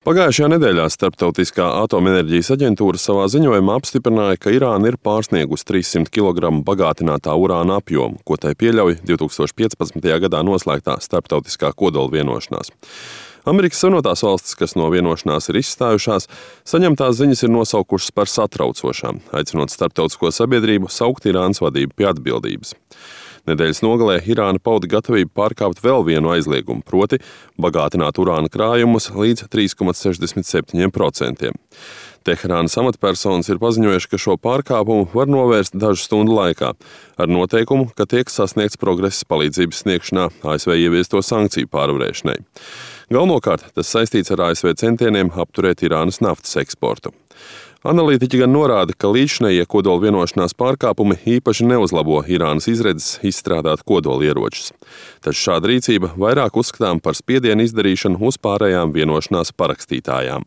Pagājušajā nedēļā Starptautiskā atomenerģijas aģentūra savā ziņojumā apstiprināja, ka Irāna ir pārsniegusi 300 kg bagātinātā urāna apjomu, ko tai pieļauj 2015. gadā noslēgtā starptautiskā kodola vienošanās. Amerikas Savienotās valstis, kas no vienošanās ir izstājušās, saņemtās ziņas ir nosaukušas par satraucošām, aicinot starptautisko sabiedrību saukt Irānas vadību pie atbildības. Nedēļas nogalē Irāna pauda gatavību pārkāpt vēl vienu aizliegumu, proti bagātināt urāna krājumus līdz 3,67%. Teherānas amatpersonas ir paziņojuši, ka šo pārkāpumu var novērst dažu stundu laikā, ar noteikumu, ka tiek sasniegts progress palīdzības sniegšanā ASV ieviesto sankciju pārvarēšanai. Galvenokārt tas saistīts ar ASV centieniem apturēt Irānas naftas eksportu. Analītiķi gan norāda, ka līdzšinējie kodola vienošanās pārkāpumi īpaši neuzlabo Irānas izredzes izstrādāt kodolieročus. Taču šāda rīcība vairāk uzskatām par spiedienu izdarīšanu uz pārējām vienošanās parakstītājām.